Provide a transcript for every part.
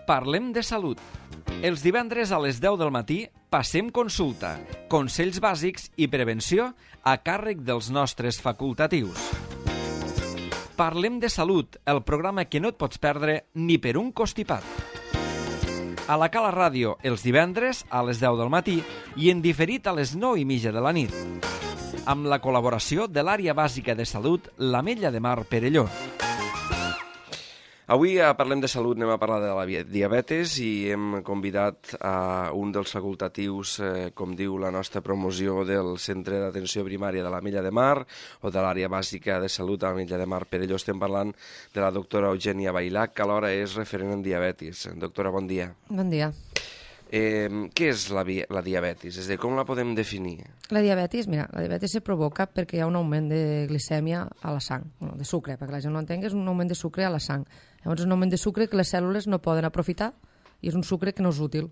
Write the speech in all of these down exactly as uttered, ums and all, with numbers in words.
Parlem de salut. Els divendres a les deu del matí passem consulta, consells bàsics i prevenció a càrrec dels nostres facultatius. Parlem de salut, el programa que no et pots perdre ni per un costipat. A la Cala Ràdio, els divendres a les deu del matí i en diferit a les nou i mitja de la nit. Amb la col·laboració de l'Àrea Bàsica de Salut, l'Ametlla de Mar Perelló. Avui a Parlem de Salut anem a parlar de la diabetes i hem convidat a un dels facultatius, eh, com diu la nostra promoció, del Centre d'Atenció Primària de l'Ametlla de Mar o de l'Àrea Bàsica de Salut de l'Ametlla de Mar Perelló. Estem parlant de la doctora Eugènia Bailac, que alhora és referent en diabetis. Doctora, bon dia. Bon dia. Eh, què és la, la diabetis? És a dir, com la podem definir? La diabetis, mira, la diabetis se provoca perquè hi ha un augment de glicèmia a la sang, bueno, de sucre, perquè la gent no entengui, és un augment de sucre a la sang. Llavors és un augment de sucre que les cèl·lules no poden aprofitar i és un sucre que no és útil.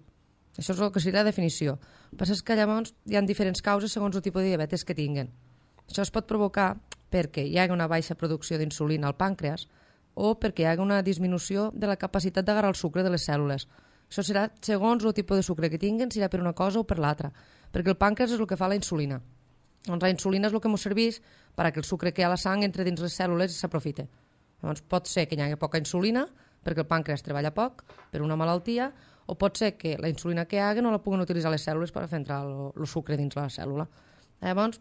Això és el que seria la definició. El que passa és que llavors hi ha diferents causes segons el tipus de diabetes que tinguin. Això es pot provocar perquè hi ha una baixa producció d'insulina al pàncreas o perquè hi ha una disminució de la capacitat d'agarrar el sucre de les cèl·lules. Això serà segons el tipus de sucre que tinguin, serà per una cosa o per l'altra, perquè el pàncreas és el que fa la insulina. Doncs la insulina és el que ens serveix perquè el sucre que hi ha a la sang entre dins les cèl·lules i s'aprofite. Llavors pot ser que hi hagi poca insulina perquè el pàncreas treballa poc per una malaltia, o pot ser que la insulina que hi hagi no la puguen utilitzar les cèl·lules per fer entrar el, el sucre dins la cèl·lula. Llavors,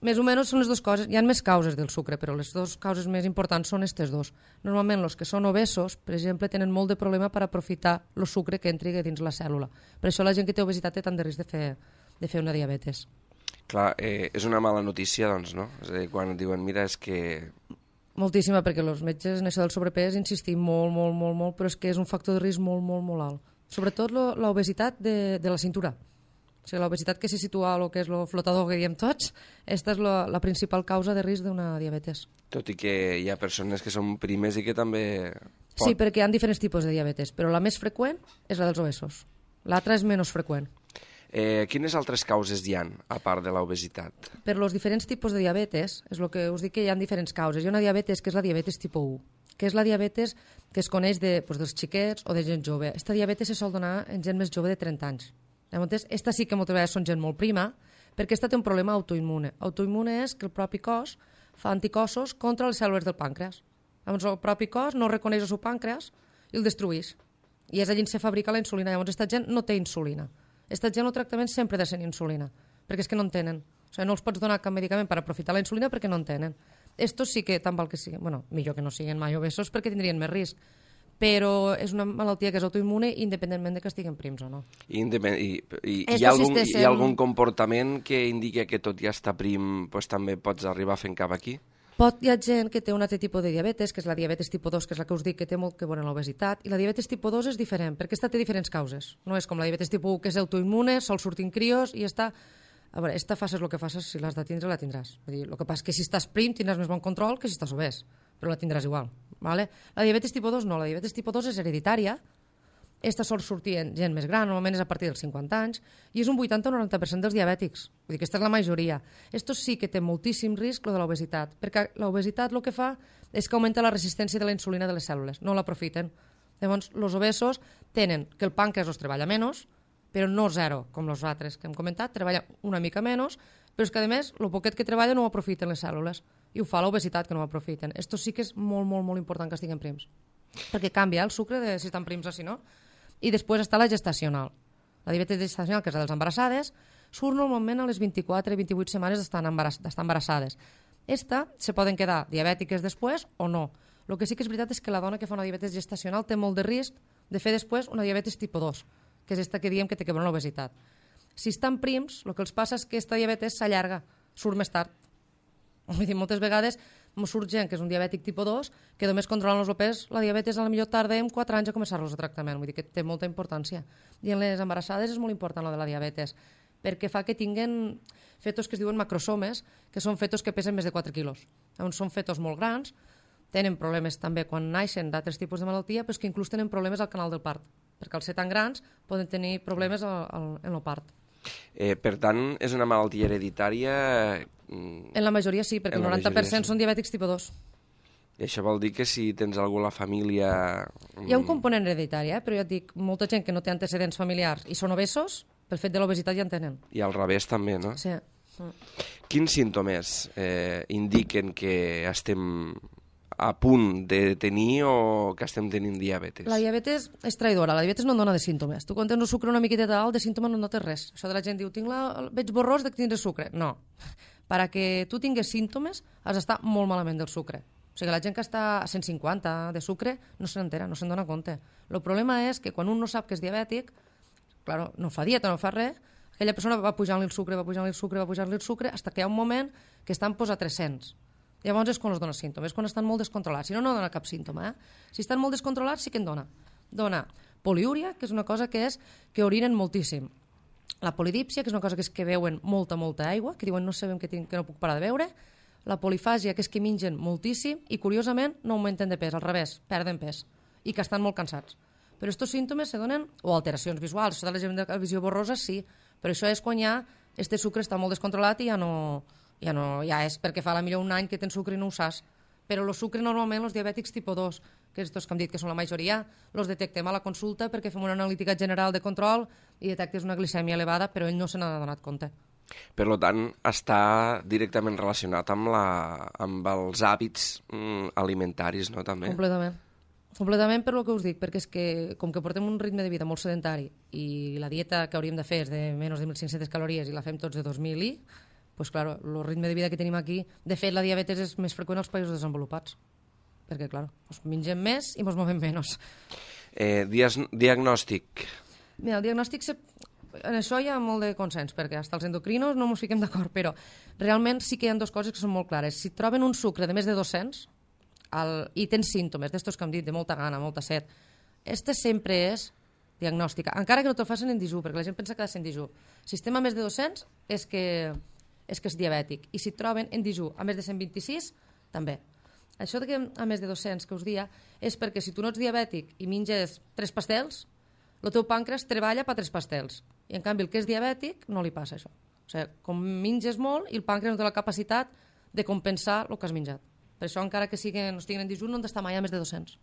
més o menys són les dues coses. Hi ha més causes del sucre, però les dues causes més importants són aquestes dos. Normalment, els que són obesos, per exemple, tenen molt de problema per aprofitar el sucre que entri dins la cèl·lula. Per això la gent que té obesitat té tant de risc de fer, de fer una diabetes. Clar, eh, és una mala notícia, doncs, no? És a dir, quan diuen, mira, és que... Moltíssima, perquè els metges en això del sobrepès insistim molt, molt, molt, molt, però és que és un factor de risc molt, molt, molt alt. Sobretot l'obesitat de, de la cintura. O sigui, l'obesitat que se situa el que és el flotador que diem tots, aquesta és la, la principal causa de risc d'una diabetes. Tot i que hi ha persones que són primes i que també... Pot... Sí, perquè hi ha diferents tipus de diabetes, però la més freqüent és la dels obesos. L'altra és menys freqüent. Eh, quines altres causes hi ha, a part de l'obesitat? Per els diferents tipus de diabetes, és el que us dic que hi ha diferents causes. Hi ha una diabetes que és la diabetes tipus u, que és la diabetes que es coneix de, doncs, dels xiquets o de gent jove. Aquesta diabetes se sol donar en gent més jove de trenta anys. Llavors, esta sí que moltes vegades són gent molt prima, perquè esta té un problema autoimmune. Autoimmune és que el propi cos fa anticossos contra les cèl·lules del pàncreas. Llavors, el propi cos no reconeix el seu pàncreas i el destrueix. I és allí on se fabrica la insulina. Llavors, aquesta gent no té insulina. Aquesta gent el tractament sempre ha de ser insulina, perquè és que no en tenen. O sigui, no els pots donar cap medicament per aprofitar la insulina perquè no en tenen. Estos sí que, tant val que siguin, bueno, millor que no siguin mai obesos perquè tindrien més risc. Però és una malaltia que és autoimmune independentment de que estiguin prims o no. I, i, i hi, ha algun, hi ha algun comportament que indica que tot ja està prim, doncs també pots arribar fent cap aquí? Pot, hi ha gent que té un altre tipus de diabetes, que és la diabetes tipus dos, que és la que us dic que té molt que veure amb l'obesitat, i la diabetes tipus dos és diferent, perquè aquesta té diferents causes. No és com la diabetes tipus u, que és autoimmune, sol sortir en crios, i està... A veure, esta faces el que faces, si l'has de tindre, la tindràs. Vull dir, el que passa és que si estàs prim tindràs més bon control que si estàs obès, però la tindràs igual. Vale? La diabetes tipus dos no, la diabetes tipus dos és hereditària, esta sol sortir en gent més gran, normalment és a partir dels cinquanta anys, i és un vuitanta o noranta per cent dels diabètics. Vull dir que aquesta és la majoria. Esto sí que té moltíssim risc, lo de l'obesitat, perquè l'obesitat el que fa és que augmenta la resistència de la insulina de les cèl·lules, no l'aprofiten. Llavors, els obesos tenen que el pàncreas els treballa menys, però no zero, com els altres que hem comentat, treballa una mica menys, però és que, a més, el poquet que treballa no ho aprofiten les cèl·lules, i ho fa l'obesitat, que no ho aprofiten. Esto sí que és molt, molt, molt important que estiguin prims, perquè canvia el sucre de si estan prims o si no. I després està la gestacional. La diabetes gestacional, que és la dels embarassades, surt normalment a les vint-i-quatre vint-i-vuit setmanes d'estar embarassades. Esta se poden quedar diabètiques després o no. El que sí que és veritat és que la dona que fa una diabetes gestacional té molt de risc de fer després una diabetes tipus dos, que és esta que diem que té que veure amb l'obesitat. Si estan prims, el que els passa és que aquesta diabetes s'allarga, surt més tard. Vull dir, moltes vegades surt gent que és un diabètic tipus dos, que només controlant el pes, la diabetes a la millor tardem quatre anys a començar-los el tractament, vull dir que té molta importància. I en les embarassades és molt important la de la diabetes, perquè fa que tinguen fetos que es diuen macrosomes, que són fetos que pesen més de quatre quilos. Llavors són fetos molt grans, tenen problemes també quan naixen d'altres tipus de malaltia, però que inclús tenen problemes al canal del part, perquè al ser tan grans poden tenir problemes al, al, en el part. Eh, per tant, és una malaltia hereditària... En la majoria sí, perquè el noranta per cent són diabètics tipus dos. I això vol dir que si tens algú a la família... Hi ha un component hereditari, eh? Però ja et dic, molta gent que no té antecedents familiars i són obesos, pel fet de l'obesitat ja en tenen. I al revés també, no? Sí. Quins símptomes eh, indiquen que estem a punt de tenir o que estem tenint diabetes? La diabetes és traïdora, la diabetes no dona de símptomes. Tu quan tens el sucre una miqueta alt, de símptomes no notes res. Això de la gent diu, Tinc la... veig borrós de tindre sucre. No. Per a que tu tingues símptomes has d'estar molt malament del sucre. O sigui, la gent que està a cent cinquanta de sucre no se n'entera, no se'n dona compte. El problema és que quan un no sap que és diabètic, claro, no fa dieta, no fa res, aquella persona va pujant-li el sucre, va pujant-li el sucre, va pujant-li el sucre, fins que hi ha un moment que estan posat a tres-cents. Llavors és quan els dona símptomes, és quan estan molt descontrolats. Si no, no dona cap símptoma. Eh? Si estan molt descontrolats, sí que en dona. Dona poliúria, que és una cosa que és que orinen moltíssim. La polidípsia, que és una cosa que és que beuen molta, molta aigua, que diuen no sabem que, tinc, que no puc parar de beure. La polifàgia, que és que mengen moltíssim i, curiosament, no augmenten de pes, al revés, perden pes, i que estan molt cansats. Però aquests símptomes se donen, o alteracions visuals, això de la gent de visió borrosa, sí, però això és quan ja este sucre està molt descontrolat i ja no, ja no, ja és perquè fa la millor un any que tens sucre i no ho saps. Però el sucre normalment, els diabètics tipus dos, que és els que hem dit que són la majoria, els detectem a la consulta perquè fem una analítica general de control i detectes una glicèmia elevada, però ell no se n'ha donat compte. Per tant, està directament relacionat amb, la, amb els hàbits mm, alimentaris, no, també? Completament. Completament per lo que us dic, perquè és que com que portem un ritme de vida molt sedentari i la dieta que hauríem de fer és de menys de mil cinc-centes calories i la fem tots de dos mil i, pues claro, el ritme de vida que tenim aquí, de fet la diabetes és més freqüent als països desenvolupats, perquè clar, pues mengem més i ens movem menys. Eh, dias, diagnòstic. Mira, el diagnòstic, se... en això hi ha molt de consens, perquè fins els endocrinos no ens fiquem d'acord, però realment sí que hi ha dues coses que són molt clares. Si troben un sucre de més de dos-cents el... i tens símptomes d'estos que hem dit, de molta gana, molta set, este sempre és diagnòstica, encara que no te'l facin en dijú, perquè la gent pensa que ha de ser en dijú. Si estem a més de dos-cents és que, és que és diabètic, i si troben en dijú a més de cent vint-i-sis, també. Això de que a més de dos-cents que us dia és perquè si tu no ets diabètic i menges tres pastels, el teu pàncreas treballa per tres pastels. I en canvi el que és diabètic no li passa això. O sigui, com menges molt i el pàncreas no té la capacitat de compensar el que has menjat. Per això encara que siguin, no estiguin en dijú no han d'estar mai a més de dos-cents.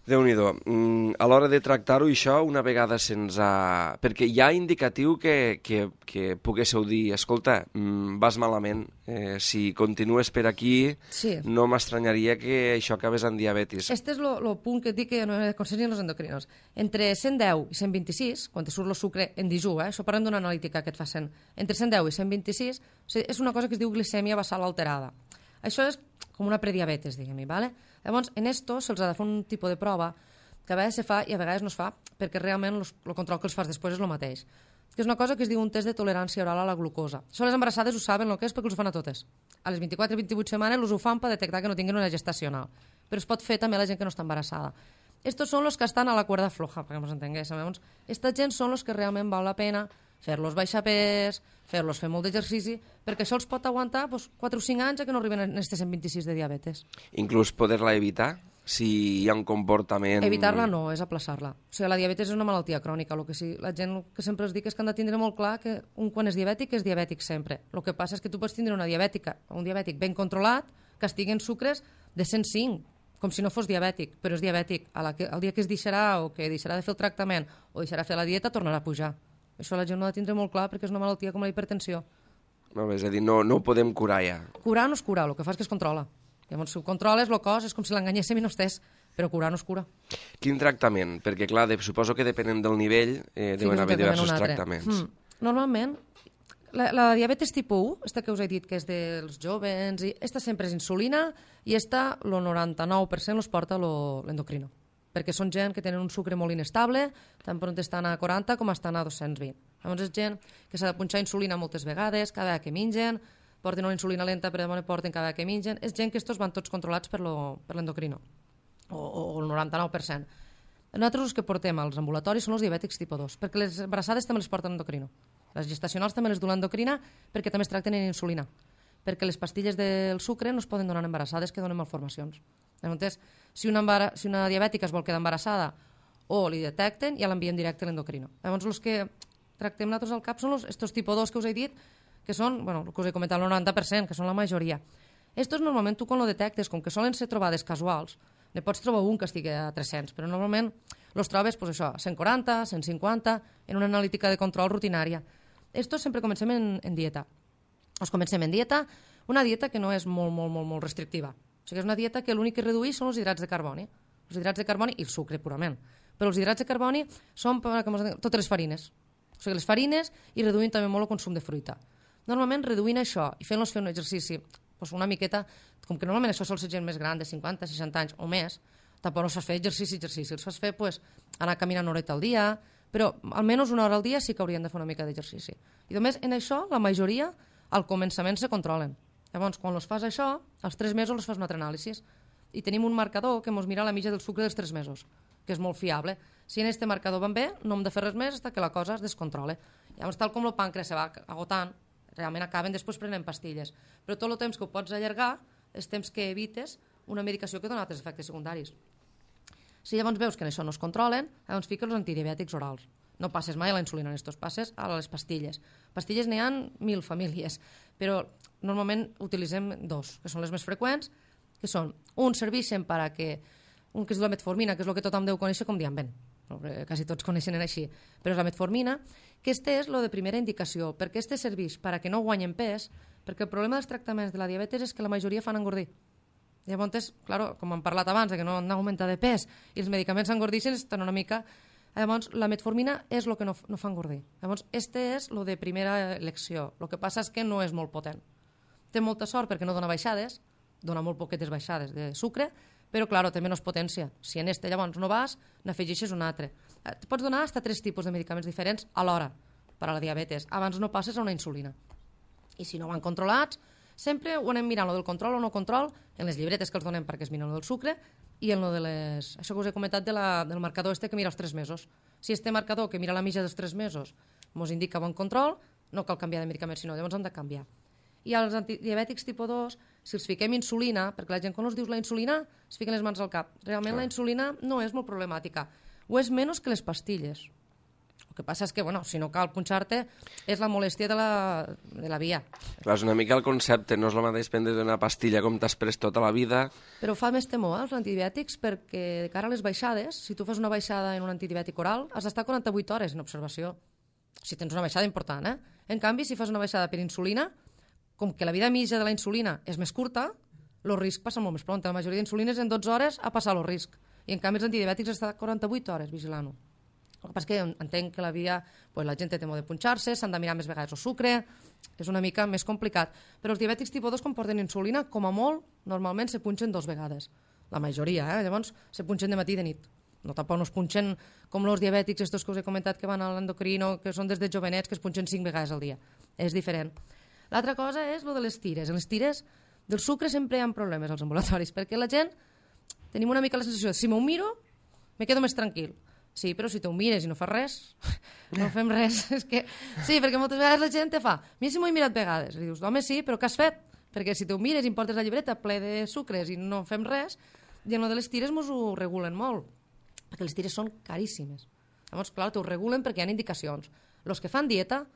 Déu-n'hi-do. Mm, a l'hora de tractar-ho, això, una vegada se'ns ha... Perquè hi ha indicatiu que, que, que poguéssiu dir, escolta, mm, vas malament, eh, si continues per aquí, sí. No m'estranyaria que això acabés en diabetis. Este és el punt que et dic que no aconseguien els endocrinos. Entre cent deu i cent vint-i-sis, quan te surt el sucre en dijú, eh, això parlem d'una analítica que et facin, entre cent deu i cent vint-i-sis, o sigui, és una cosa que es diu glicèmia basal alterada. Això és com una prediabetes, diguem-hi, ¿vale? Llavors, en esto se'ls ha de fer un tipus de prova que a vegades se fa i a vegades no es fa perquè realment el control que els fas després és el mateix. Que és una cosa que es diu un test de tolerància oral a la glucosa. Això les embarassades ho saben el que és perquè els ho fan a totes. A les vint-i-quatre a vint-i-vuit setmanes els ho fan per detectar que no tinguin una gestacional. Però es pot fer també a la gent que no està embarassada. Estos són els que estan a la cuerda floja, perquè ens entengués. Llavors, esta gent són els que realment val la pena fer-los baixar pes, fer-los fer molt d'exercici, perquè això els pot aguantar doncs, quatre o cinc anys que no arriben a aquests cent vint-i-sis de diabetes. Inclús poder-la evitar, si hi ha un comportament... Evitar-la no, és aplaçar-la. O sigui, la diabetes és una malaltia crònica. Lo que sí, la gent que sempre els dic és que han de tindre molt clar que un quan és diabètic és diabètic sempre. El que passa és que tu pots tindre una diabètica, un diabètic ben controlat, que estigui en sucres de cent cinc, com si no fos diabètic, però és diabètic. A la que, el dia que es deixarà o que deixarà de fer el tractament o deixarà de fer la dieta, tornarà a pujar. Això la gent no ha de tindre molt clar perquè és una malaltia com la hipertensió. No, és a dir, no, no ho podem curar ja. Curar no es cura, el que fa és que es controla. Llavors, si ho controles, el cos és com si l'enganyéssim i no estés, però curar no es cura. Quin tractament? Perquè, clar, de, suposo que depenent del nivell eh, deuen haver diversos tractaments. Mm. Normalment, la, la diabetes tipus u, esta que us he dit que és dels jovens, i esta sempre és insulina i esta, el noranta-nou per cent, los porta l'endocrino. Perquè són gent que tenen un sucre molt inestable, tant per on estan a quaranta com estan a dos-cents vint. Llavors és gent que s'ha de punxar insulina moltes vegades, cada vegada que mengen, porten una insulina lenta però demà porten cada vegada que mengen. És gent que estos van tots controlats per l'endocrino, o, o, o el noranta-nou per cent. Nosaltres els que portem als ambulatoris són els diabètics tipus dos, perquè les embarassades també les porten endocrino. Les gestacionals també les du l'endocrina perquè també es tracten en insulina, perquè les pastilles del sucre no es poden donar embarassades que donen malformacions. Llavors, si una, embara... si una diabètica es vol quedar embarassada o li detecten, ja l'envien directe a l'endocrino. Llavors, els que tractem nosaltres al cap són els, estos tipus dos que us he dit, que són, bueno, el que us he comentat, el noranta per cent, que són la majoria. Estos normalment tu quan ho detectes, com que solen ser trobades casuals, ne pots trobar un que estigui a tres-cents, però normalment els trobes pues, això, a cent quaranta, cent cinquanta, en una analítica de control rutinària. Estos sempre comencem en, en dieta. Els comencem en dieta, una dieta que no és molt, molt, molt, molt restrictiva. O sigui, és una dieta que l'únic que redueix són els hidrats de carboni. Els hidrats de carboni i el sucre purament. Però els hidrats de carboni són per, com es diu, totes les farines. O sigui, les farines i reduint també molt el consum de fruita. Normalment, reduint això i fent-los fer un exercici doncs una miqueta, com que normalment això sol ser gent més gran, de cinquanta, seixanta anys o més, tampoc no saps fer exercici, exercici. Els fas fer pues, anar caminant una horeta al dia, però almenys una hora al dia sí que haurien de fer una mica d'exercici. I només en això, la majoria, al començament se controlen. Llavors, quan els fas això, als tres mesos els fas un altre anàlisi. I tenim un marcador que ens mira la mitja del sucre dels tres mesos, que és molt fiable. Si en este marcador van bé, no hem de fer res més fins que la cosa es descontrole. Llavors, tal com el pàncreas se va agotant, realment acaben després prenent pastilles. Però tot el temps que ho pots allargar és temps que evites una medicació que dona altres efectes secundaris. Si llavors veus que això no es controlen, llavors fiques els antidiabètics orals. No passes mai a la insulina en estos, passes a les pastilles. Pastilles n'hi ha mil famílies, però normalment utilitzem dos, que són les més freqüents, que són, un serveixen per a que, un que és la metformina, que és el que tothom deu conèixer com Dianben, quasi tots coneixen així, però és la metformina, que este és el de primera indicació, perquè este serveix per a que no guanyen pes, perquè el problema dels tractaments de la diabetes és que la majoria fan engordir. Llavors, clar, com hem parlat abans, que no han d'augmentar de pes i els medicaments engordixen, estan una mica... Llavors, la metformina és el que no, no fa engordir. Llavors, este és el de primera elecció. El que passa és que no és molt potent. Té molta sort perquè no dona baixades, dona molt poquetes baixades de sucre, però, clar, té menys potència. Si en este llavors no vas, n'afegeixes un altre. Et pots donar fins a tres tipus de medicaments diferents alhora per a la diabetes. Abans no passes a una insulina. I si no van controlats, sempre ho anem mirant, lo del control o no control, en les llibretes que els donem perquè es miren lo del sucre, i en lo de les... Això que us he comentat de la, del marcador este que mira els tres mesos. Si este marcador que mira la mitja dels tres mesos ens indica bon control, no cal canviar de medicament, sinó llavors hem de canviar. I als antidiabètics tipus dos, si els fiquem insulina, perquè la gent quan us dius la insulina, es fiquen les mans al cap. Realment la insulina no és molt problemàtica. Ho és menys que les pastilles. El que passa és que, bueno, si no cal punxar-te, és la molèstia de la, de la via. Clar, és una mica el concepte, no és el mateix prendre una pastilla com t'has pres tota la vida. Però fa més temor, eh, els antibiòtics, perquè de cara a les baixades, si tu fas una baixada en un antibiòtic oral, has d'estar quaranta-vuit hores en observació. Si tens una baixada important, eh? En canvi, si fas una baixada per insulina, com que la vida mitja de la insulina és més curta, el risc passa molt més pront. La majoria d'insulines en dotze hores ha passat el risc. I en canvi els antidiabètics està quaranta-vuit hores vigilant-ho. El que passa és que entenc que la via, pues, la gent té temor de punxar-se, s'han de mirar més vegades el sucre, és una mica més complicat. Però els diabètics tipus dos, quan porten insulina, com a molt, normalment se punxen dos vegades. La majoria, eh? Llavors, se punxen de matí i de nit. No, tampoc no es punxen com els diabètics, estos que us he comentat que van a l'endocrino, que són des de jovenets, que es punxen cinc vegades al dia. És diferent. L'altra cosa és el de les tires. En les tires del sucre sempre hi ha problemes als ambulatoris, perquè la gent tenim una mica la sensació de si m'ho miro, me quedo més tranquil. Sí, però si t'ho mires i no fas res, no fem res. És que... Sí, perquè moltes vegades la gent te fa, mira si m'ho he mirat vegades. I dius, home, sí, però què has fet? Perquè si t'ho mires i em portes la llibreta ple de sucres i no fem res, i en el de les tires mos ho regulen molt, perquè les tires són caríssimes. Llavors, clar, t'ho regulen perquè hi ha indicacions. Els que fan dieta,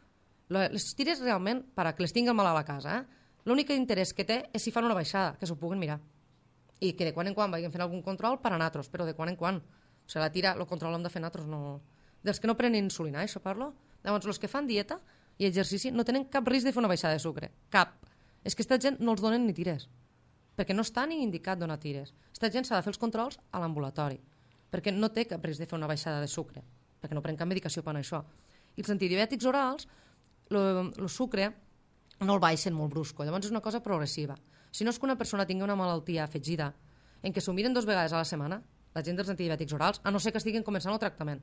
les tires realment, per a que les tingui el malalt a casa, eh? L'únic interès que té és si fan una baixada, que s'ho puguen mirar. I que de quan en quan vagin fent algun control per a natros, però de quan en quan. O sigui, la tira, el control hem de fer natros, no... Dels que no prenen insulina, això parlo. Llavors, els que fan dieta i exercici no tenen cap risc de fer una baixada de sucre. Cap. És que aquesta gent no els donen ni tires. Perquè no està ni indicat donar tires. Aquesta gent s'ha de fer els controls a l'ambulatori. Perquè no té cap risc de fer una baixada de sucre. Perquè no pren cap medicació per això. I els antidiabètics orals, el sucre no el baixen molt brusco. Llavors és una cosa progressiva. Si no és que una persona tingui una malaltia afegida en què s'ho miren dues vegades a la setmana, la gent dels antidiabètics orals, a no ser que estiguin començant el tractament.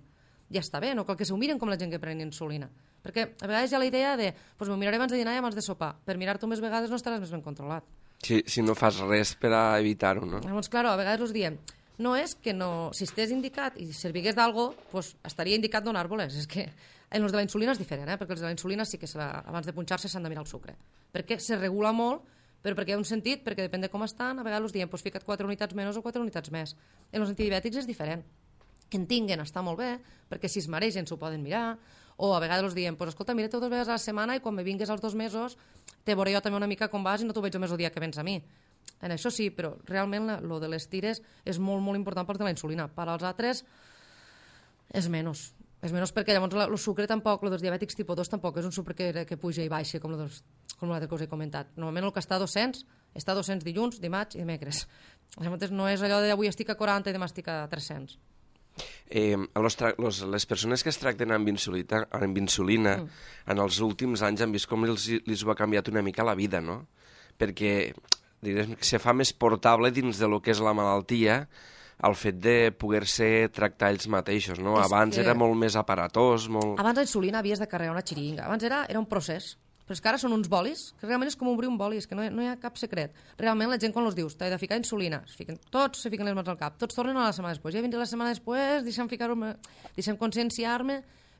Ja està bé, no cal que s'ho miren com la gent que pren insulina. Perquè a vegades hi ha la idea de pues, m'ho miraré abans de dinar i abans de sopar. Per mirar-t'ho més vegades no estaràs més ben controlat. Si, si no fas res per a evitar-ho, no? Llavors, clar, a vegades us diem, no és que no... Si estés indicat i servigués d'algo, pues, estaria indicat donar-vos-les. És que en els de la insulina és diferent, eh? Perquè els de la insulina sí que la, abans de punxar-se s'han de mirar el sucre. Perquè se regula molt, però perquè hi ha un sentit, perquè depèn de com estan, a vegades us diem, pues, fica't quatre unitats menys o quatre unitats més. En els antidiabètics és diferent. Que en tinguen està molt bé, perquè si es maregen s'ho poden mirar, o a vegades us diem, pues, escolta, mira-te dues vegades a la setmana i quan me vingues als dos mesos te veuré jo també una mica com vas i no t'ho veig el mesmo dia que vens a mi. en això sí, però realment el de les tires és molt, molt important per de la insulina. Per als altres és menys. És menys perquè llavors el sucre tampoc, el dels diabètics tipus dos tampoc és un sucre que, que puja i baixa com l'altre que us he comentat. Normalment el que està a dos-cents està a dos-cents dilluns, dimarts i dimecres. Llavors no és allò de avui estic a quaranta i demà estic a tres-cents. Eh, los, los, les persones que es tracten amb insulina, amb insulina mm. en els últims anys han vist com els, els ho ha canviat una mica la vida, no? Perquè diguem, se fa més portable dins de lo que és la malaltia el fet de poder-se tractar ells mateixos, no? És abans que... era molt més aparatós, molt... Abans la insulina havies de carregar una xiringa. Abans era, era un procés. Però és que ara són uns bolis, que realment és com obrir un boli, és que no hi, no hi ha cap secret. Realment la gent quan els dius, t'he de ficar insulina, es fiquen, tots se fiquen les mans al cap, tots tornen a la setmana després. Ja vindré la setmana després, deixa'm ficar-me, deixa'm conscienciar-me,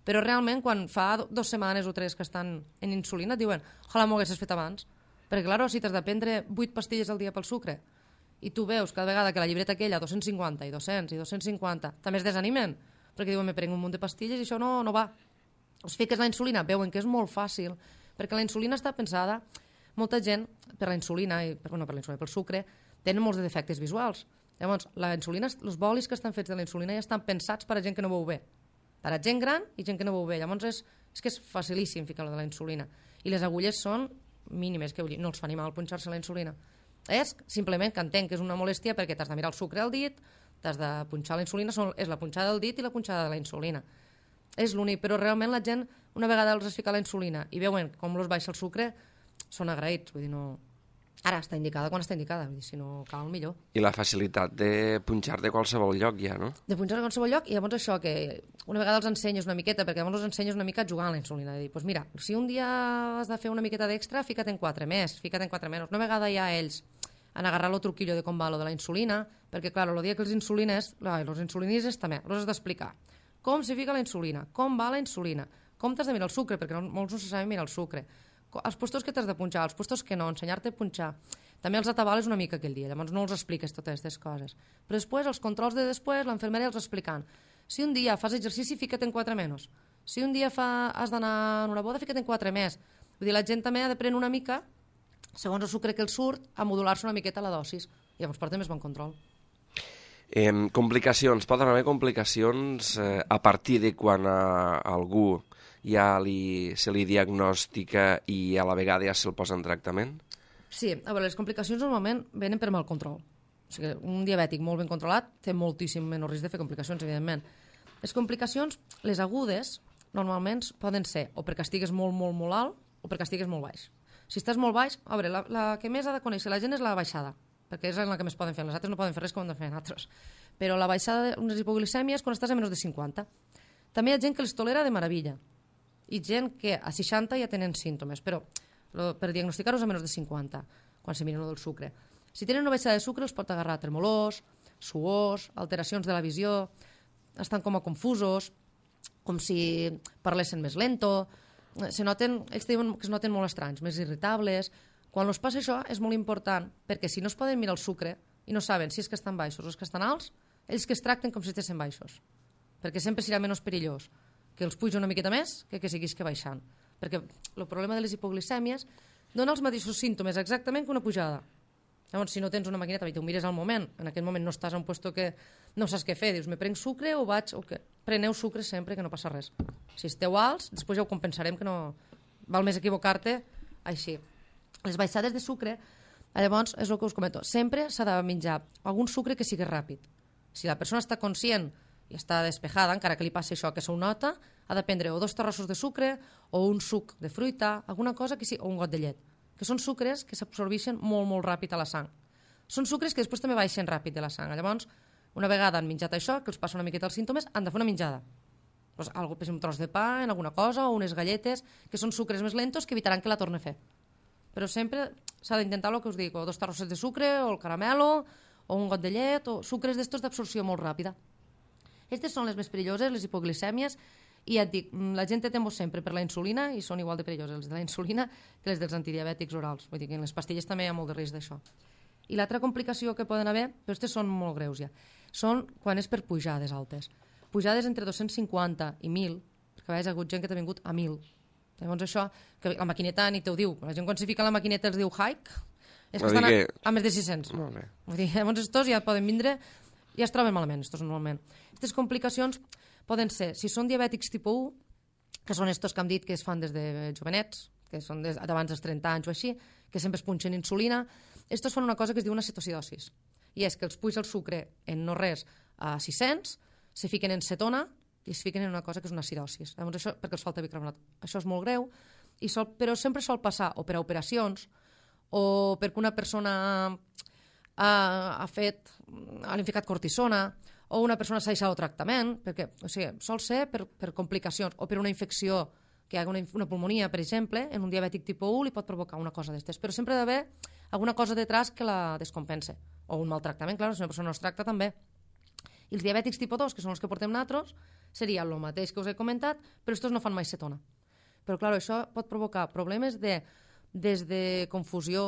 però realment quan fa dues setmanes o tres que estan en insulina et diuen, ojalà m'ho haguessis fet abans. Perquè, clar, si t'has de prendre vuit pastilles al dia pel sucre i tu veus cada vegada que la llibreta aquella dos-cents cinquanta i dos-cents i dos-cents cinquanta també es desanimen, perquè diuen, me prenc un munt de pastilles i això no, no va. Els fiques la insulina, veuen que és molt fàcil, perquè la insulina està pensada, molta gent, per la insulina, i, per, bueno, per la insulina, pel sucre, tenen molts defectes visuals. Llavors, la insulina, els bolis que estan fets de la insulina ja estan pensats per a gent que no veu bé. Per a gent gran i gent que no veu bé. Llavors, és, és que és facilíssim ficar-lo de la insulina. I les agulles són mínimes, que no els fa ni mal punxar-se la insulina. És simplement que entenc que és una molèstia perquè t'has de mirar el sucre al dit, t'has de punxar la insulina, són, és la punxada del dit i la punxada de la insulina. És l'únic, però realment la gent, una vegada els es fica la insulina i veuen com els baixa el sucre, són agraïts, vull dir, no... Ara està indicada quan està indicada, vull dir, si no cal, millor. I la facilitat de punxar de qualsevol lloc ja, no? De punxar de qualsevol lloc, i llavors això, que una vegada els ensenyes una miqueta, perquè llavors els ensenyes una mica a jugar a la insulina, de dir, doncs mira, si un dia has de fer una miqueta d'extra, fica't en quatre més, fica't en quatre menys. Una vegada ja ells han agarrat el truquillo de com va lo de la insulina, perquè, clar, el dia que els insulines, els insulinistes també, els has d'explicar com se fica la insulina, com va la insulina, com t'has de mirar el sucre, perquè no, molts no se saben mirar el sucre, els puestos que t'has de punxar, els puestos que no, ensenyar-te a punxar. També els atabales una mica aquell dia, llavors no els expliques totes aquestes coses. Però després, els controls de després, l'enfermera els explicant. Si un dia fas exercici, fica't en quatre menys. Si un dia fa, has d'anar a una boda, fica't en quatre més. Vull dir, la gent també ha d'aprendre una mica, segons el sucre que el surt, a modular-se una miqueta la dosis. I llavors porta més bon control. Eh, complicacions. Poden haver complicacions eh, a partir de quan a algú ja li, se li diagnostica i a la vegada ja se'l posa en tractament? Sí, a veure, les complicacions normalment venen per mal control. O sigui, un diabètic molt ben controlat té moltíssim menys risc de fer complicacions, evidentment. Les complicacions, les agudes, normalment poden ser o perquè estigues molt, molt, molt alt o perquè estigues molt baix. Si estàs molt baix, a veure, la, la que més ha de conèixer la gent és la baixada, perquè és la que més poden fer. Les altres no poden fer res com han de fer altres. Però la baixada d'unes hipoglicèmies quan estàs a menys de cinquanta. També hi ha gent que les tolera de meravella i gent que a seixanta ja tenen símptomes, però per diagnosticar-los a menys de cinquanta, quan se miren el del sucre. Si tenen una baixada de sucre els pot agarrar tremolors, suors, alteracions de la visió, estan com a confusos, com si parlessin més lento, se noten, ells diuen que es noten molt estranys, més irritables. Quan els passa això és molt important, perquè si no es poden mirar el sucre i no saben si és que estan baixos o és que estan alts, ells que es tracten com si estessin baixos, perquè sempre serà menys perillós que els puja una miqueta més que que siguis que baixant. Perquè el problema de les hipoglicèmies dona els mateixos símptomes exactament que una pujada. Llavors, si no tens una maquineta i tu mires al moment, en aquell moment no estàs en un lloc que no saps què fer, dius, me prenc sucre o vaig... O què? Preneu sucre sempre, que no passa res. Si esteu alts, després ja ho compensarem, que no... Val més equivocar-te així. Les baixades de sucre, llavors, és el que us comento, sempre s'ha de menjar algun sucre que sigui ràpid. Si la persona està conscient i està despejada, encara que li passi això, que s'ho nota, ha de prendre o dos terrossos de sucre o un suc de fruita, alguna cosa que sí, o un got de llet, que són sucres que s'absorbeixen molt, molt ràpid a la sang. Són sucres que després també baixen ràpid de la sang. Llavors, una vegada han menjat això, que els passa una miqueta els símptomes, han de fer una menjada. Pues, algo, per exemple, un tros de pa, en alguna cosa, o unes galletes, que són sucres més lentos que evitaran que la torni a fer. Però sempre s'ha d'intentar el que us dic, o dos terrosses de sucre, o el caramelo, o un got de llet, o sucres d'estos d'absorció molt ràpida. Aquestes són les més perilloses, les hipoglicèmies, i ja et dic, la gent té temor sempre per la insulina i són igual de perilloses les de la insulina que les dels antidiabètics orals. Vull dir que en les pastilles també hi ha molt de risc d'això. I l'altra complicació que poden haver, però aquestes són molt greus ja, són quan és per pujades altes. Pujades entre dos-cents cinquanta i mil, perquè a vegades hi ha hagut gent que ha vingut a mil. Llavors això, que la maquineta ni te ho diu. La gent quan s'hi fica la maquineta els diu hike, És que Vull estan a, que- a més de sis-cents. Molt bé. Vull dir, llavors estos ja poden vindre, ja es troben malament, estos normalment. Aquestes complicacions poden ser, si són diabètics tipus u, que són estos que hem dit que es fan des de jovenets, que són des, d'abans dels trenta anys o així, que sempre es punxen insulina, estos fan una cosa que es diu una cetocidosis, i és que els puja el sucre en no res a sis-cents, se fiquen en cetona i es fiquen en una cosa que és una acidosis. Llavors això, perquè els falta bicarbonat. Això és molt greu, i sol, però sempre sol passar o per a operacions o perquè una persona ha, ha fet, ha ficat cortisona, o una persona s'ha deixat el tractament, perquè, o sigui, sol ser per, per complicacions, o per una infecció, que hi ha una, una pulmonia, per exemple, en un diabètic tipus u li pot provocar una cosa d'estes, però sempre ha d'haver alguna cosa detrás que la descompense, o un maltractament, clar, si una persona no es tracta també. I els diabètics tipus dos, que són els que portem nosaltres, seria el mateix que us he comentat, però estos no fan mai cetona. Però, clar, això pot provocar problemes de, des de confusió,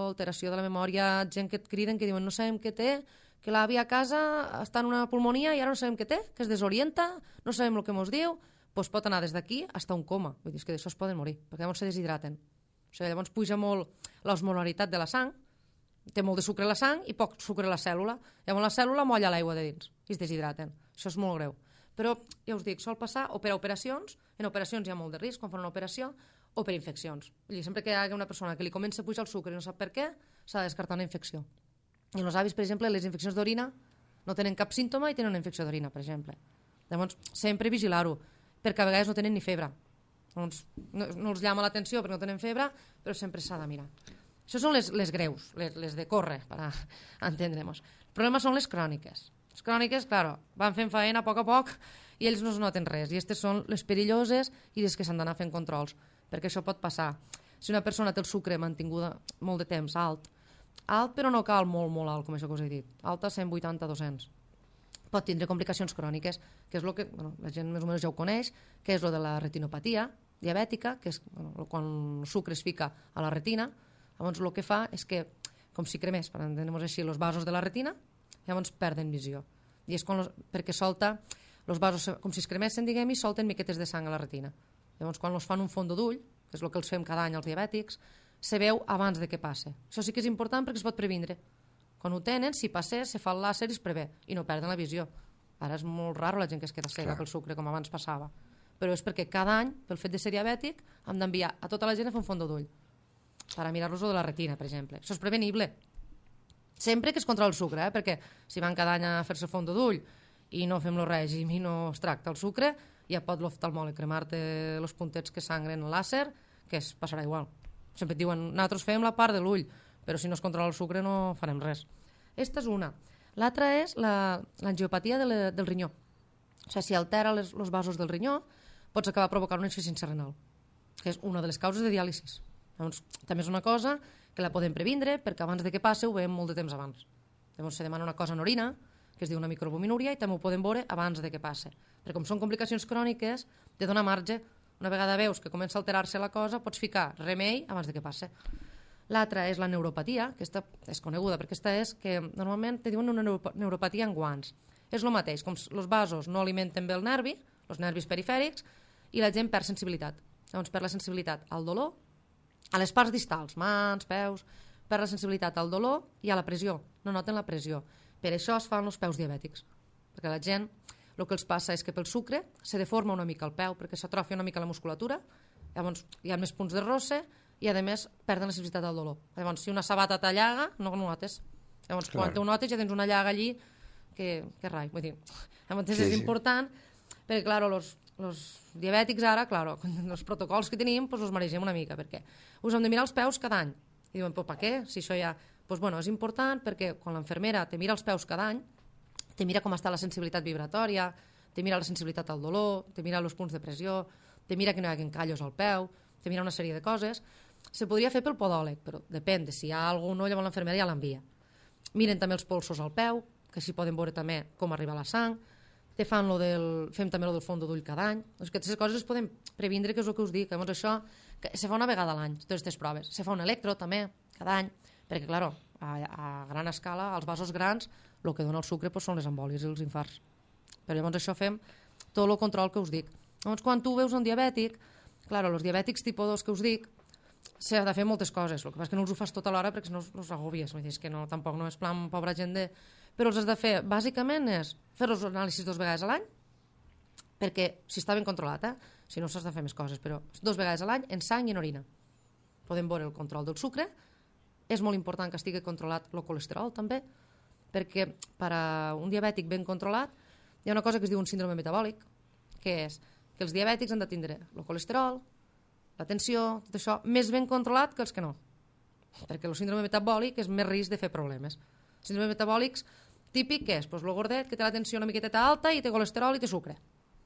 alteració de la memòria, gent que et criden, que diuen no sabem què té, que l'àvia a casa està en una pulmonia i ara no sabem què té, que es desorienta, no sabem el que ens diu, doncs pot anar des d'aquí fins a un coma. Vull dir, és que d'això es poden morir, perquè llavors se deshidraten. O sigui, llavors puja molt l'osmolaritat de la sang, té molt de sucre a la sang i poc sucre a la cèl·lula. Llavors la cèl·lula molla l'aigua de dins i es deshidraten. Això és molt greu. Però, ja us dic, sol passar o per a operacions, en operacions hi ha molt de risc quan fan una operació, o per infeccions. Vull dir, sempre que hi hagi una persona que li comença a pujar el sucre i no sap per què, s'ha de descartar una infecció. I els avis, per exemple, les infeccions d'orina no tenen cap símptoma i tenen una infecció d'orina, per exemple. Llavors, sempre vigilar-ho, perquè a vegades no tenen ni febre. Llavors, no, no els llama l'atenció perquè no tenen febre, però sempre s'ha de mirar. Això són les, les greus, les, les de córrer, per a entendre-nos. El problema són les cròniques. Les cròniques, claro, van fent feina a poc a poc i ells no es noten res. I aquestes són les perilloses i les que s'han d'anar fent controls, perquè això pot passar. Si una persona té el sucre mantinguda molt de temps alt, alt però no cal molt, molt alt, com això que us he dit, alt a cent vuitanta a dos-cents. Pot tindre complicacions cròniques, que és el que bueno, la gent més o menys ja ho coneix, que és el de la retinopatia diabètica, que és bueno, quan el sucre es fica a la retina. Llavors el que fa és que, com si cremés, per entendre-nos així, els vasos de la retina, llavors perden visió. I és quan los, perquè solta, els vasos com si es cremessin, diguem, i solten miquetes de sang a la retina. Llavors quan els fan un fondo d'ull, que és el que els fem cada any als diabètics, se veu abans de que passe. Això sí que és important perquè es pot previndre. Quan ho tenen, si passés, se fa el làser i es prevé, i no perden la visió. Ara és molt raro la gent que es queda cega pel sucre, com abans passava. Però és perquè cada any, pel fet de ser diabètic, hem d'enviar a tota la gent a fer un fondo d'ull per a mirar-los de la retina, per exemple. Això és prevenible. Sempre que es controla el sucre, eh? Perquè si van cada any a fer-se fondo d'ull i no fem el règim i no es tracta el sucre, ja pot l'oftalmòleg cremar-te els puntets que sangren el làser, que es passarà igual. Sempre et diuen, nosaltres fem la part de l'ull, però si no es controla el sucre no farem res. Esta és una. L'altra és l'angiopatia la, de la, del rinyó. O sigui, si altera els vasos del rinyó, pots acabar provocant una insuficiència renal, que és una de les causes de diàlisis. Llavors, també és una cosa que la podem previndre, perquè abans de que passe ho veiem molt de temps abans. Llavors, se demana una cosa en orina, que es diu una microalbuminúria, i també ho podem veure abans de que passe. Perquè com són complicacions cròniques, te dona marge. Una vegada veus que comença a alterar-se la cosa, pots ficar remei abans de que passe. L'altra és la neuropatia, que aquesta és coneguda, perquè aquesta és que normalment te diuen una neuropatia en guants. És el mateix, com els vasos no alimenten bé el nervi, els nervis perifèrics, i la gent perd sensibilitat. Llavors perd la sensibilitat al dolor, a les parts distals, mans, peus, perd la sensibilitat al dolor i a la pressió. No noten la pressió. Per això es fan els peus diabètics, perquè la gent el que els passa és que pel sucre se deforma una mica el peu, perquè s'atrofia una mica la musculatura, llavors hi ha més punts de rosse i a més perden la sensibilitat del dolor. Llavors si una sabata t'allaga no ho notes. Llavors clar, quan ho notes ja tens una llaga allí que, que rai, vull dir, llavors sí, és sí. important perquè clar, els, els diabètics ara, clar, els protocols que tenim pues, els maregem una mica, perquè us hem de mirar els peus cada any. I diuen, però per què? Si això ja... Pues, bueno, és important perquè quan l'infermera te mira els peus cada any, te mira com està la sensibilitat vibratòria, te mira la sensibilitat al dolor, te mira els punts de pressió, te mira que no hi hagi callos al peu, te mira una sèrie de coses. Se podria fer pel podòleg, però depèn de si hi ha algú o no, llavors l'infermera ja l'envia. Miren també els polsos al peu, que així poden veure també com arriba la sang, te fan lo del, fem també lo del fondo d'ull cada any. Doncs aquestes coses es poden previndre, que és el que us dic. Llavors això que se fa una vegada a l'any, totes aquestes proves. Se fa un electro també, cada any, perquè, clar, a, a gran escala, als vasos grans, el que dona el sucre pues, són les embòlies i els infarts. Però llavors això fem tot el control que us dic. Llavors, quan tu veus un diabètic, clar, els diabètics tipus dos que us dic, s'ha de fer moltes coses, el que passa és que no els ho fas tota l'hora perquè no els agobies, vull dir, és que no, tampoc no és plan pobra gent de... Però els has de fer, bàsicament, és fer els anàlisis dos vegades a l'any, perquè si està ben controlat, eh? Si no s'has de fer més coses, però dos vegades a l'any en sang i en orina. Podem veure el control del sucre, és molt important que estigui controlat el colesterol també, perquè per a un diabètic ben controlat hi ha una cosa que es diu un síndrome metabòlic, que és que els diabètics han de tindre el colesterol, la tensió, tot això, més ben controlat que els que no. Perquè el síndrome metabòlic és més risc de fer problemes. Síndrome metabòlics típic que és pues, el gordet que té la tensió una miqueta alta i té colesterol i té sucre,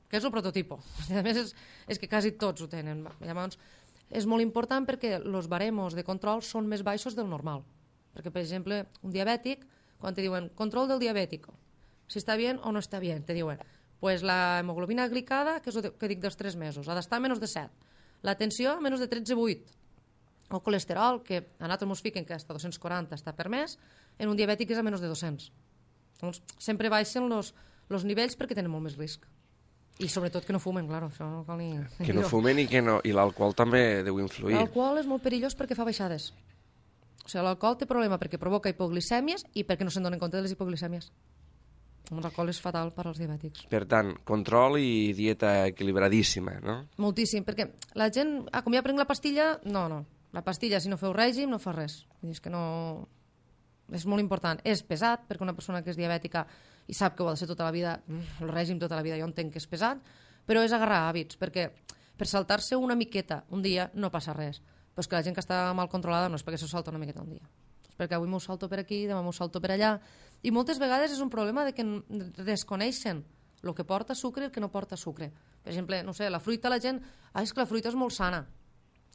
que és el prototipo. A més, és, és que quasi tots ho tenen. Llavors, és molt important perquè els baremos de control són més baixos del normal. Perquè, per exemple, un diabètic, quan te diuen control del diabètic, si està bé o no està bé, te diuen pues la hemoglobina glicada, que és el que dic dels tres mesos, ha d'estar a menys de set. La tensió a menys de tretze coma vuit. El colesterol, que a nosaltres ens fiquen que hasta dos-cents quaranta està permès, en un diabètic és a menys de dos-cents. Doncs sempre baixen els nivells perquè tenen molt més risc. I sobretot que no fumen, clar, això no cal ni... Que no fumen i que no... I l'alcohol també deu influir. L'alcohol és molt perillós perquè fa baixades. O sigui, l'alcohol té problema perquè provoca hipoglicèmies i perquè no se'n donen compte de les hipoglicèmies. L'alcohol és fatal per als diabètics. Per tant, control i dieta equilibradíssima, no? Moltíssim, perquè la gent... Ah, com ja prenc la pastilla... No, no. La pastilla, si no feu règim, no fa res. Vull dir, és que no... És molt important. És pesat, perquè una persona que és diabètica i sap que ho ha de ser tota la vida, el règim tota la vida, jo entenc que és pesat, però és agarrar hàbits, perquè per saltar-se una miqueta un dia no passa res. Però és que la gent que està mal controlada no és perquè se salta una miqueta un dia. És perquè avui m'ho salto per aquí, demà m'ho salto per allà. I moltes vegades és un problema de que desconeixen el que porta sucre i el que no porta sucre. Per exemple, no sé, la fruita, la gent... Ah, és que la fruita és molt sana.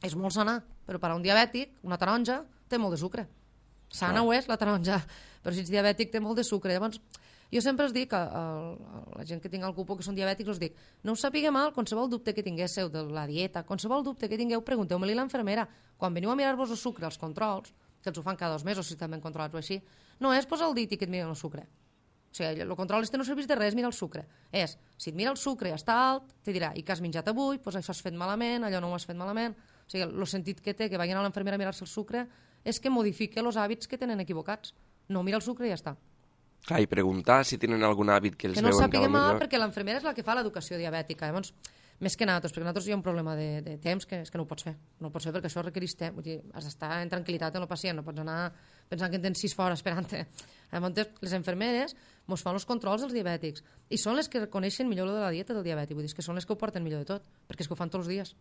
És molt sana, però per a un diabètic, una taronja té molt de sucre. Sana ho és, la taronja, però si ets diabètic té molt de sucre. Llavors, jo sempre els dic a, a, a la gent que tinc al cupo que són diabètics, els dic, no us sapigueu mal, qualsevol dubte que tinguéssiu de la dieta, qualsevol dubte que tingueu, pregunteu-me-li a l'enfermera. Quan veniu a mirar-vos el sucre, els controls, que els ho fan cada dos mesos, si estan ben controlats o així, no és posar el dit i que et miren el sucre. O sigui, el control este no serveix de res, mira el sucre. És, si et mira el sucre i està alt, te dirà, i què has menjat avui, doncs això has fet malament, allò no ho has fet malament. O sigui, el sentit que té que vagin a l'enfermera a mirar-se el sucre és que modifica els hàbits que tenen equivocats. No mira el sucre i ja està. Clar, i preguntar si tenen algun hàbit que els que no veuen sàpiguem millor. Perquè l'enfermera és la que fa l'educació diabètica. Llavors, més que nosaltres, perquè nosaltres hi ha un problema de, de temps que és que no ho pots fer. No ho pots fer perquè això requereix temps. Vull dir, has d'estar en tranquil·litat amb el pacient, no pots anar pensant que en tens sis fora esperant-te. Llavors, les infermeres ens fan els controls dels diabètics i són les que reconeixen millor lo de la dieta del diabètic. Vull dir, que són les que ho porten millor de tot, perquè és que ho fan tots els dies.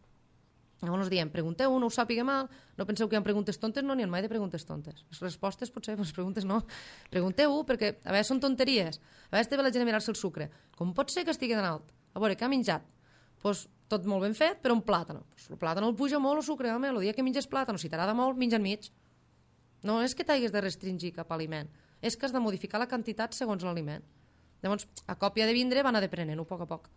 Llavors ens diem, pregunteu, no ho sàpiga mal, no penseu que hi ha preguntes tontes, no n'hi ha mai de preguntes tontes. Les respostes potser, les preguntes no. Pregunteu, perquè a vegades són tonteries. A vegades té la gent a mirar-se el sucre. Com pot ser que estigui tan alt? A veure, què ha menjat? Pues, tot molt ben fet, però un plàtano. Pues, el plàtano el puja molt, el sucre, home, el dia que menges plàtano, si t'agrada molt, menja enmig. No és que t'haguis de restringir cap aliment, és que has de modificar la quantitat segons l'aliment. Llavors, a còpia de vindre van a deprenent-ho a poc a poc.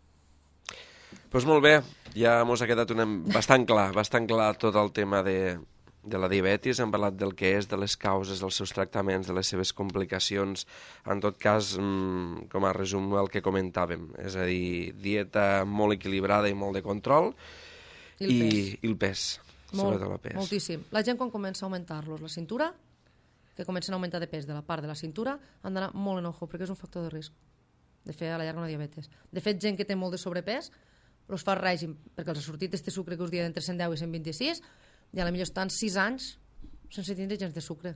Doncs pues molt bé, ja mos ha quedat una... bastant clar, bastant clar tot el tema de, de la diabetis, hem parlat del que és, de les causes, dels seus tractaments, de les seves complicacions, en tot cas, mmm, com a resum el que comentàvem, és a dir, dieta molt equilibrada i molt de control, i el i, pes, i el pes molt, sobretot el pes. Moltíssim. La gent quan comença a augmentar-los la cintura, que comencen a augmentar de pes de la part de la cintura, han d'anar molt en ojo, perquè és un factor de risc de fer a la llarga una diabetes. De fet, gent que té molt de sobrepès, els fa règim, perquè els ha sortit este sucre que us dia d'entre cent deu i cent vint-i-sis, i a la millor estan sis anys sense tindre gens de sucre.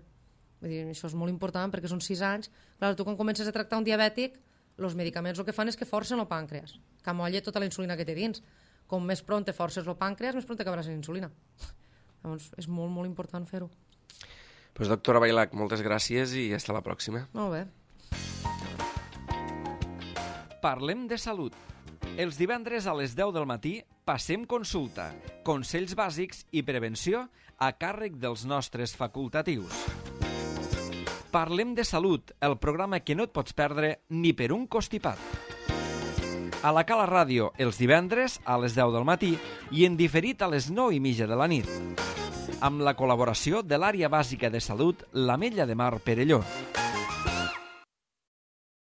Vull dir, això és molt important, perquè són sis anys. Clar, tu quan comences a tractar un diabètic, els medicaments el que fan és que forcen el pàncreas, que amolla tota la insulina que té dins. Com més pront te forces el pàncreas, més pront acabaràs en insulina. Llavors, és molt, molt important fer-ho. Pues, doctora Bailac, moltes gràcies i fins la pròxima. Molt bé. Parlem de salut. Els divendres a les deu del matí passem consulta, consells bàsics i prevenció a càrrec dels nostres facultatius. Parlem de salut, el programa que no et pots perdre ni per un costipat. A la Cala Ràdio, els divendres a les deu del matí i en diferit a les nou i mitja de la nit. Amb la col·laboració de l'Àrea Bàsica de Salut, l'Ametlla de Mar Perelló.